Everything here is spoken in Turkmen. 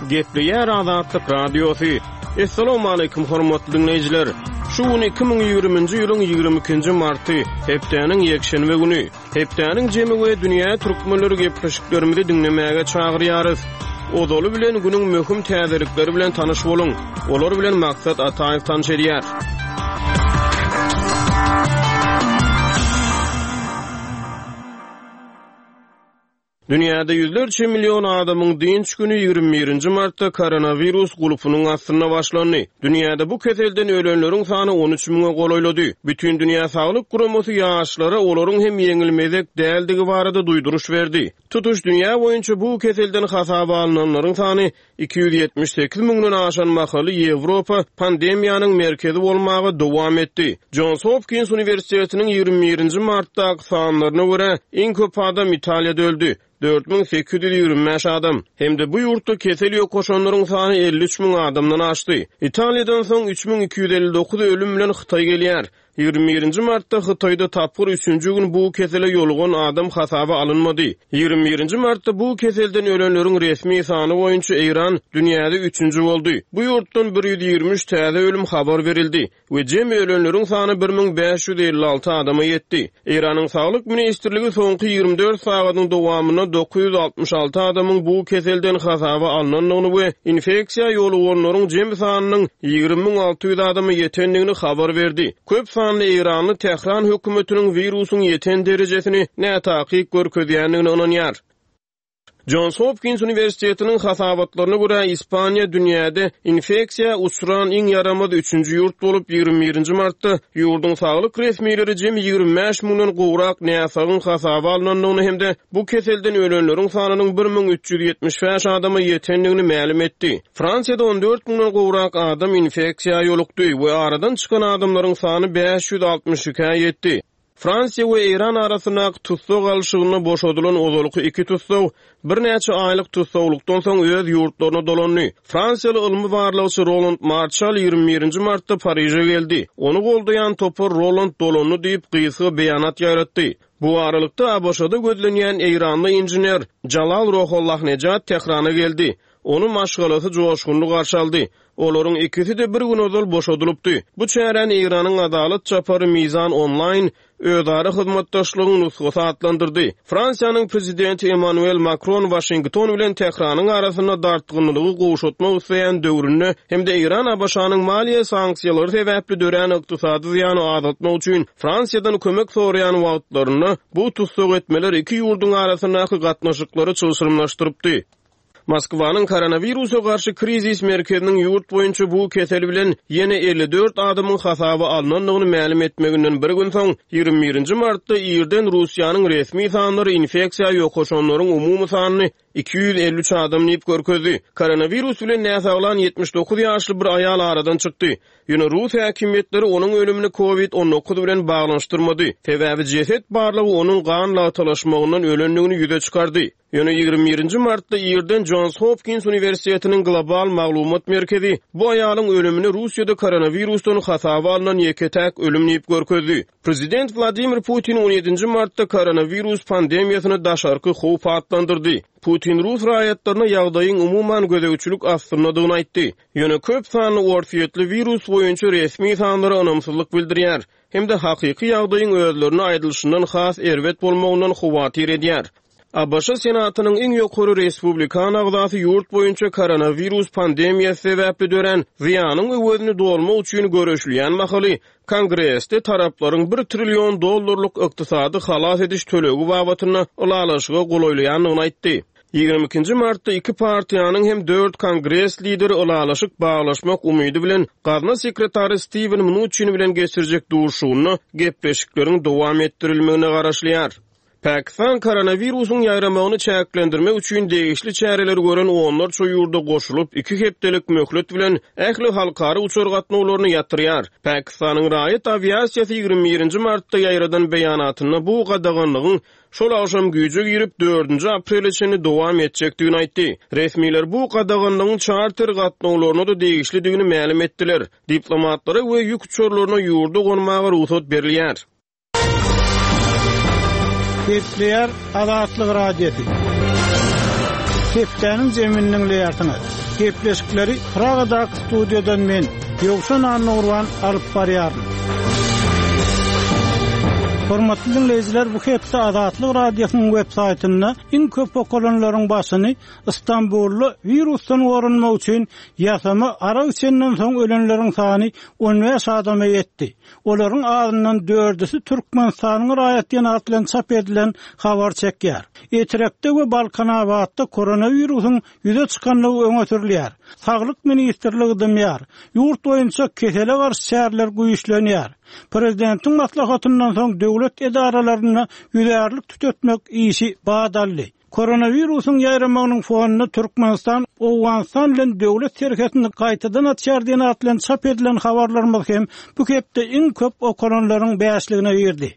Gepleýär Azatlyk Radiosy. Assalamualaikum hormatly diňleýjiler. Şu gün 2020-nji ýylyň 22-nji marty, hepdäniň ýekşenbe güni. Hepdäniň jemi we dünýä türkmenleri gepleşiklerimizi diňlemäge çagyrýarys. Ozaly bilen günüň möhüm täzelikleri bilen tanyş boluň. Olar bilen Maksat Ataýew tanyş edýär. Dünýäde ýüzlerçe million adamyň dynç güni 21-nji martda koronawirus gulpunyň astynda başlandy. Dünýäde bu keselden ölenleriň sany 13 müňe golaýlady. Bütindünýä saglyk guramasy ýaşlara olaryň hem ýeňilmezek däldigi barada duýduryş berdi. Tutuş dünýä boýunça bu keselden hasaba alnanlaryň sany 278 müňden aşan mahaly Ýewropa pandemiýanyň merkezi bolmaga dowam etdi. Jons Hopkins uniwersitetiniň 21-nji martdaky sanlaryna görä, iň köp adam Italiýada öldi, 4825 adam, hem-de bu ýurtda kesel ýokaşanlaryň sany 53 müň adamdan aşdy. Italiýadan soň 3259 ölüm bilen Hytaý gelýär. 21-nji martda Hytaýda tapgyr üçünji gün bu kesele ýolugan adam hasaba alynmady. 21-nji martda bu keselden ölenleriň resmi sany boýunça Eýran dünýäde üçünji boldy. Bu ýurtdan 123 täze ölüm habar berildi we jemi ölenleriň sany 1556 adama ýetdi. Eýranyň Saglyk ministrligi soňky 24 sagadyň dowamynda 966 adamyň bu keselden hasaba alnandygyny we infeksiýa ýoluganlaryň jemi sanynyň 20 600 adama ýetendigini habar berdi. Köp sanly eýranly Tähran hökümetiniň wirusyň ýeten derejesini nätakyk görkezýändigine ynanýar. Jons Hopkins uniwersitetiniň hasabatlaryna görä, Ispaniýa dünýäde infeksiýa uçran iň ýaramaz üçünji ýurt bolup, 21-nji martda ýurduň saglyk resmileri jemi 25 müňden gowrak näsagyň hasaba alnandygyny hem-de bu keselden ölenleriň sanynyň 1375 adama ýetendigini mälim etdi. Fransiýada 14 müňden gowrak adam infeksiýa ýolukdy we aradan çykan adamlaryň sany 562-ä ýetdi. Fransiýa we Eýran arasyndaky tussag alşygynda boşadylan ozalky iki tussag birnäçe aýlyk tussaglykdan soň öz ýurtlaryna dolandy. Fransiýaly ylmy barlagçy Roland Marçal 21-nji martda Pariže geldi. Ony goldaýan topar Roland dolandy diýip, gysga beýanat ýaýratdy. Bu aralykda, ABŞ-da gözlenýän eýranly inžener Jalal Rohollahnejad Tährana geldi. Ony maşgalasy joşgunly garşy aldy. Olaryň ikisi-de bir gün ozal boşadylypdy. Bu çäräni Eýranyň Adalat çapary Mizan Online özara hyzmatdaşlygyň nusgasy atlandyrdy. Fransiýanyň prezidenti Emmanuel Makron Waşington bilen Tähranyň arasynda dartgynlylygy gowşatmak isleýän döwründe hem-de Eýran ABŞ-nyň maliýe sanksiýalary sebäpli dörän ykdysady zyýany azaltmak üçin Fransiýadan kömek soraýan wagtlarynda bu tussag etmeler iki ýurduň arasyndaky gatnaşyklary çylşyrymlaşdyrypdy. Moskwanyň koronawirusa garşy krizis merkeziniň ýurt boýunça bu kesel bilen ýene 54 adamyň hasaba alnandygyny mälim etmeginden bir gün soň, 21-nji martda irden Russiýanyň resmi sanlary infeksiýa ýokaşanlaryň umumy sanyny 253 adam diýip görkezdi. Koronawirus bilen näsaglan 79 ýaşly bir aýal aradan çykdy. Ýöne rus häkimiýetleri onuň ölümini Covid 19 bilen baglanyşdyrmady, sebäbi jeset barlagy onuň gan lagtalaşmagyndan ölendigini ýüze çykardy. Ýöne 21-nji martda irden Jons Hopkins uniwersitetiniň Global maglumat merkezi bu aýalyň ölümini Russiýada koronawirusdan hasaba alnan ýeke-täk ölüm diýip görkezdi. Prezident Wladimir Putin 17-nji martda koronawirus pandemiýasyny daşarky howp atlandyrdy. Putin rus raýatlaryna ýagdaýyň umuman gözegçilik astyndadygyny aýtdy. Ýöne köp sanly orsýetli wirus boýunça resmi sanlara ynamsyzlyk bildirýär. Hem-de hakyky ýagdaýyň özlerine aýdylyşyndan has erbet bolmagyndan howatyr edýär. ABŞ Senatynyň iň ýokary respublikan agzasy ýurt boýunça koronawirus pandemiýasy sebäpli dörän zyýanyň öwezini dolmak üçin göreşilýän mahaly, Kongresde taraplaryň bir trillion dollarlyk ykdysady halas ediş tölegi babatynda ylalaşyga golaýlaýandygyny aýtdy. 22-nji martda iki partiýanyň hem dört kongres lideri ylalaşyk baglaşmak umydy bilen gazna sekretary Stiwen Mnuçin bilen geçirjek duşuşygynda gepleşikleriň dowam etdirilmegine garaşylýar. Pakistan koronawirusyň ýaýramagyny çäklendirmek üçin degişli çäreleri gören onlarça ýurda goşulyp, iki hepdelik möhlet bilen ähli halkara uçar gatnawlaryny ýatyrýar. Pakistanyň raýat awiasiýasy 21-nji martda ýaýradan beýanatynda bu gadaganlygyň şol agşam güýje girip, dördünji aprele çenli dowam etjekdigini aýtdy. Resmiler bu gadaganlygyň çarter gatnawlaryna-da degişlidigini mälim etdiler. Diplomatlara we ýük uçarlaryna ýurda gonmaga rugsat berilýär. Gepleýär Azatlyk Radiosy. Hepdäniň jemini diňleýärsiňiz. Gepleşikleri Pragadaky studiýadan men, Ýowşan Annagurban alyp barýaryn. Hormatly diňleýjiler, bu hepde Azatlyk Radiosynyň web saýtynda iň köp okalanlaryň başyny Stambulda wirusdan goranmak üçin ýasama arak içenden soň ölenleriň sany 15 adama ýetdi. Olaryň azyndan dördüsi Türkmenistanyň raýat diýen at bilen çap edilen habar çekýär. Etrekde we Balkanabatda koronawirusyň ýüze çykandygy öňe sürülýär. Saglyk ministrligi dymýar. Ýurt boýunça kesele garşy çäreler güýçlenýär. Prezidentiň maslahatyndan soň döwlet edaralarynda ýüzärlik tütetmek işi bat aldy. Koronawirusyň ýaýramagynyň fonunda Türkmenistan Owganystan bilen döwlet serhetini gaýtadan açýar diýen at bilen çap edilen habarlarymyz hem bu hepde iň köp okalanlaryň bäşligine girdi.